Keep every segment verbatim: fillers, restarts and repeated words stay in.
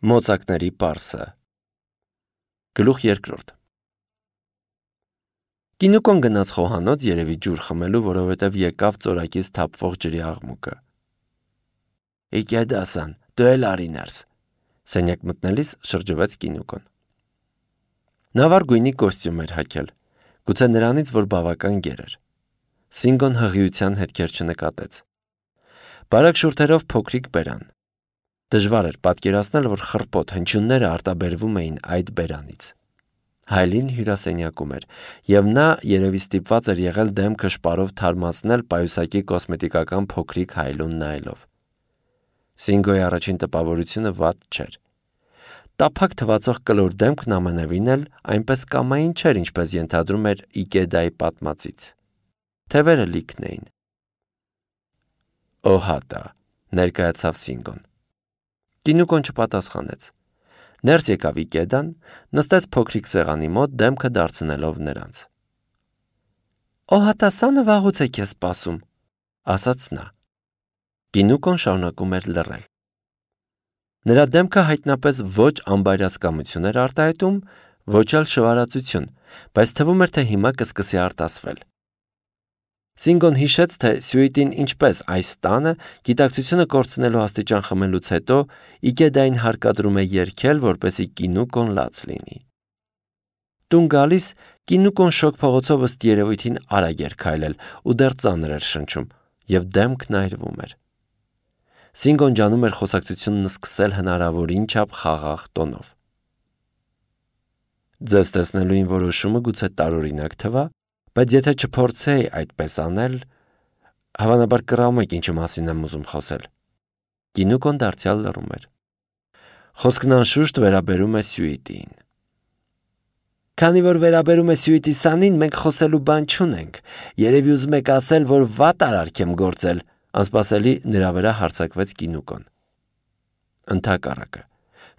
Մոծակների պարսը։ Գլուխ երկրորդ։ Կինուկոն գնաց խոհանոց երևի ջուր խմելու, որովհետև եկավ ծորակից թափվող ջրի աղմուկը։ Իգեդ ասան, դու էլ արի ներս, սենյակ մտնելիս շրջվեց Կինուկոն։ Նա վառ գույնի կոստյում էր հագել, գուցե նրանից, որ բավական գեր էր։ Սինգոն հղիության հետքեր չնկատեց։ Բարակ շուրթերով փոքրիկ բերան։ Դժվար էր պատկերացնել, որ խռպոտ հնչյունները արտաբերվում էին այդ բերանից։ Հայլին հյուրասենյակում էր, և նա երևի ստիպված էր եղել դեմքը շպարով թարմացնել պայուսակի կոսմետիկական փոքրիկ հայլուն նայելով։ Սինգոյի առաջին տպավորությունը վատ չէր։ Տափակ թվացող կլոր դեմքն ամենևին էլ այնպես կամային չէր, ինչպես ենթադրում էր Իգեդայի պատմածից։ Թևերը լիքն էին։ Օհատա, ներկայացավ Սինգոն։ Կինուկոն չպատասխանեց։ Ներս եկավ Իգեդան, նստեց փոքրիկ սեղանի մոտ, դեմքը դարձնելով նրանց։ Օհատասանը վաղուց է քեզ սպասում, ասաց նա։ Կինուկոն շարունակում էր լռել։ Նրա դեմքը հայտնապես ոչ անբայրասկամություն էր արտահայտում, ոչ էլ շվարածություն, բայց թվում էր, թե հիմա կսկսի արտասվել։ Սինգոն հիշեց, թե սյուիտին ինչպես այս տանը, գիտակցությունը կորցնելու աստիճան խմելուց հետո Իգեդային հարկադրում է երգել, որպեսզի Կինուկոն լաց լինի։ Տուն գալիս Կինուկոն շոգ փողոցով ըստ երևույթին արագ էր քայլել ու դեռ ծանր էր շնչում, և դեմքն այրվում էր։ Սինգոն ջանում էր խոսակցությունն սկսել հնարավորին չափ խաղաղ տոնով։ Ձեզ տեսնելուին որոշումը գուցե տարօրինակ թվա, բայց եթե չփորձեի այդպես անել, հավանաբար կռահում եք ինչի մասին եմ ուզում խոսել։ Կինուկոն դարձյալ լռում էր։ Խոսքն անշուշտ վերաբերում է սյուիտին։ Քանի որ վերաբերում է սյուիտի սանին, մենք խոսելու բան չունենք։ Երևի ուզում եք ասել, որ վատ արարք եմ գործել, անսպասելի նրա վրա հարձակվեց Կինուկոն։ Ընդհակառակը,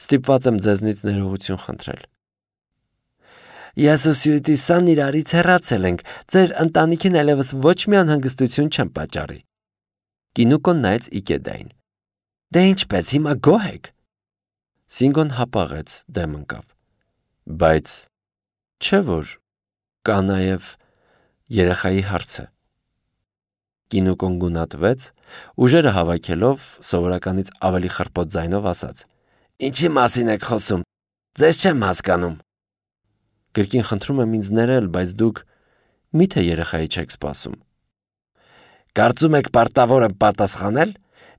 ստիպված եմ ձեզնից ներողություն խնդրել։ Ես ու սյուիտի սան իրարից հեռացել ենք, ձեր ընտանիքին այլևս ոչ մի անհանգստություն չեմ պատճառի։ Կինուկոն նայեց Իգեդային։ Դե ինչպես, հիմա գոհ եք։ Սինգոն հապաղեց, դեմ ընկավ։ Բայց չէ՞ որ կա նաև երեխայի հարցը։ Կինուկոն գունատվեց, ուժերը հավաքելով, սովորականից ավելի խռպոտ ձայնով ասաց. Ինչի մասին եք խոսում, ձեզ չեմ հասկանում։ Կրկին խնդրում եմ ինձ ներել, բայց դուք միթե երեխայի չեք սպասում։ Կարծում եք պարտավոր եմ պատասխանել,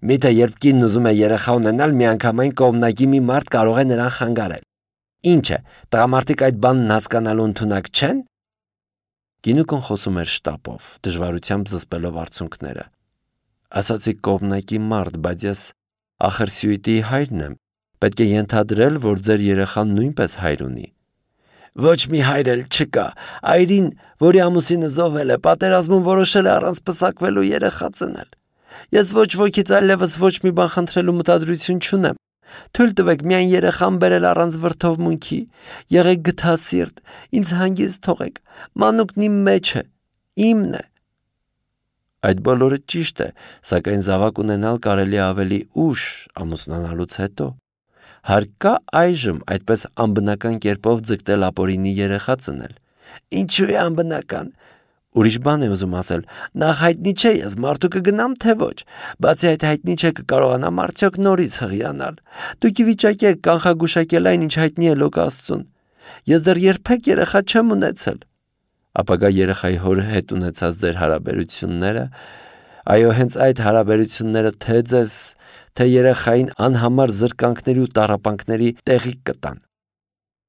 միթե երբ կինն ուզում է երեխա ունենալ, միանգամայն կողմնակի մի մարդ կարող է նրան խանգարել։ Ինչ է, տղամարդիկ այդ բանն հասկանալու ընդունակ չեն։ Կինուկոն խոսում էր շտապով, դժվարությամբ զսպելով արցունքները։ Ասացի կողմնակի մարդ, բայց ես ախր սյուիտի հայրն եմ, պետք է ենթադրել, որ ձեր երեխան նույնպես հայր ունի։ Ոչ մի հայր էլ չկա, այրին, որի ամուսինը զոհվել է, պատերազմում որոշել է առանց պսակվելու երեխա ծնել։ Ես ոչ ոքից այլևս ոչ մի բան խնդրելու մտադրություն չունեմ։ Թույլ տվեք միայն երեխան բերել առանց վրդովմունքի, եղեք գթասիրտ, ինձ հանգիստ թողեք, մանուկն իմ մեջ է, իմն է։ Այդ բոլորը ճիշտ է, սակայն զավակ ունենալ կարելի է ավելի ուշ ամուսնանալուց հետո։ Հարկ կա այժմ այդպես անբնական կերպով ձգտել ապօրինի երեխա ծնել։ Ինչու է անբնական։ Ուրիշ բան է ուզում ասել, նախ հայտնի չէ ես մարդու կգնամ, թե ոչ, բացի այդ հայտնի չէ կկարողանամ արդյոք նորից հղիանալ։ Դուք ի վիճակի եք կանխագուշակել այն, ինչ հայտնի է Լոկ Աստծուն։ Ես դեռ երբեք երեխա չեմ ունեցել։ Ապագա երեխայի հոր հետ ունեցած ձեր հարաբերությունները, այո, հենց այդ հարաբերությունները թե ձեզ, թե երեխային անհամար զրկանքների ու տառապանքների տեղիք կտան։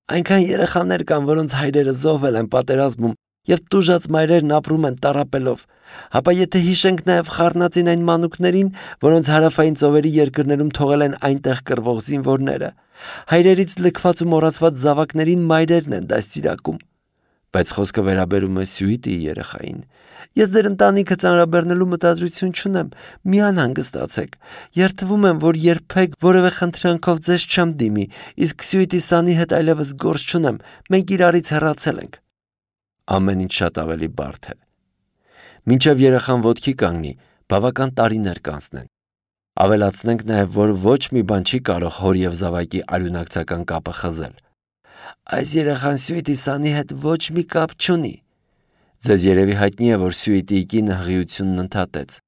Այնքան երեխաներ կան, որոնց հայրերը զոհվել են պատերազմում, և տուժած մայրերն ապրում են տառապելով, հապա եթե հիշենք նաև խառնածին այն մանուկներին, որոնց հարավային ծովերի երկրներում թողել են այնտեղ կռվող զինվորները, հայրերից լքված ու մոռացված զավակներին մայրերն են դաստիարակում։ Բայց խոսքը վերաբերում է սյուիտի երեխային։ Ես ձեր ընտանիքը ծանրաբեռնելու մտադրություն չունեմ, մի անհանգստացեք։ Երդվում եմ, որ երբեք որևէ խնդրանքով ձեզ չեմ դիմի, իսկ սյուիտի սանի հետ այլևս գործ չունեմ, մենք իրարից հեռացել ենք։ Ամեն ինչ շատ ավելի բարդ է։ Մինչև երեխան ոտքի կանգնի, բավական տարիներ կանցնեն։ Ավելացնենք նաև, որ ոչ մի բան չի կարող հոր և զավակի արյունակցական կապը խզել։ Այս երեխան Սյուիտի Սանի հետ ոչ մի կապ չունի։ Ձեզ երևի հայտնի է, որ Սյուիտիի կինը հղիությունն ընդհատեց։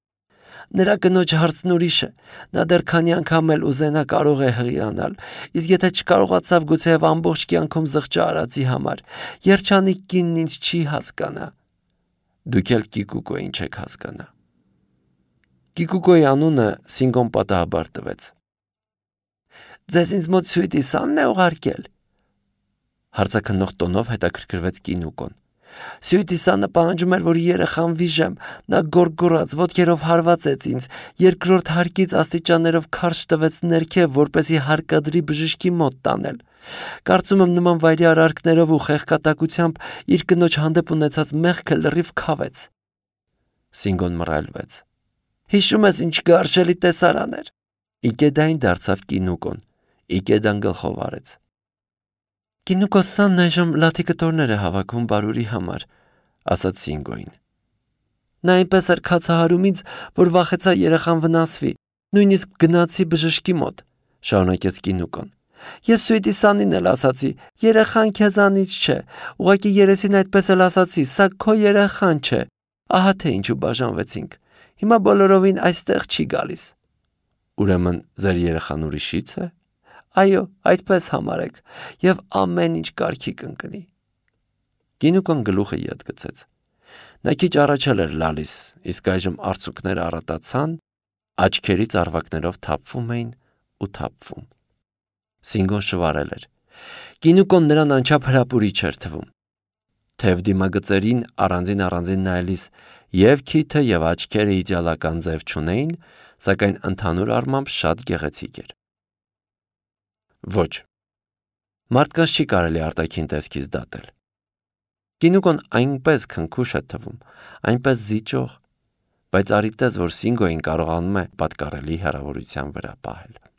Նրա կնոջ հարցն ուրիշ է, նա դեռ քանի անգամ էլ ուզենա կարող է հղիանալ, իսկ եթե չկարողացավ գուցեև ամբողջ կյանքում զղջա արածի համար, երջանիկ կինն ինձ չի հասկանա։ Դուք էլ Կիկուկոյին չեք հասկանա։ Կիկուկոյի անունը Սինգոն պատահաբար տվեց։ Ձեզ ինձ մոտ Սյուիտի Սանն է ուղարկել։ Հարցաքննող տոնով հետաքրքրվեց Կինուկոն։ Սյուիտի Սանը պահանջում էր, որ երեխան վիժեմ, նա գոռգոռաց, ոտքերով հարվածեց ինձ, երկրորդ հարկից աստիճաններով քարշ տվեց ներքև, որպեսզի հարկադրի բժշկի մոտ տանել։ Կարծում եմ նման վայրի արարքներով ու խեղկատակությամբ իր կնոջ հանդեպ ունեցած մեղքը լրիվ քավեց։ Սինգոն մռայլվեց։ Հիշում ես ինչ գարշելի տեսարան էր։ Իկեդային դարձավ Կինուկոն։ Իկեդան գլխով արեց։ Կինուկո Սանն այժմ լաթի կտորներ է հավաքում բարուրի համար, ասաց Սինգոին։ Նա այնպես էր քացահարում ինձ, որ վախեցա երեխան վնասվի, նույնիսկ գնացի բժշկի մոտ, շարունակեց Կինուկոն։ Ես Սյուիտի Սանին էլ ասացի, երեխան քեզանից չէ, ուղղակի երեսին այդպես էլ ասացի, սա քո երեխան չէ, ահա թե ինչու բաժանվեցինք, հիմա բոլորովին այստեղ չի գալիս։ Ուրեմն ձեր երեխան ուրիշից է։ Այո, այդպես համարեք, և ամեն ինչ կարգի կընկնի։ Կինուկոն գլուխը ետ գցեց։ Նա քիչ առաջ էլ էր լալիս, իսկ այժմ արցունքները առատացան, աչքերից առվակներով թափվում էին ու թափվում։ Սինգոն շվարել էր։ Կինուկոն նրան անչափ հրապուրիչ էր թվում։ Թև դիմագծերին առանձին առանձին նայելիս և քիթը և աչքերը իդեալական ձև չունեին, սակայն ընդհանուր առմամբ շատ գեղեցիկ էր։ Ոչ, մարդկանց չի կարելի արտաքին տեսքից դատել։ Կինուկոն այնպես քնքուշ է թվում, այնպես զիջող, բայց արի տես, որ Սինգոին կարողանում է պատկառելի հեռավորության վրա պահել։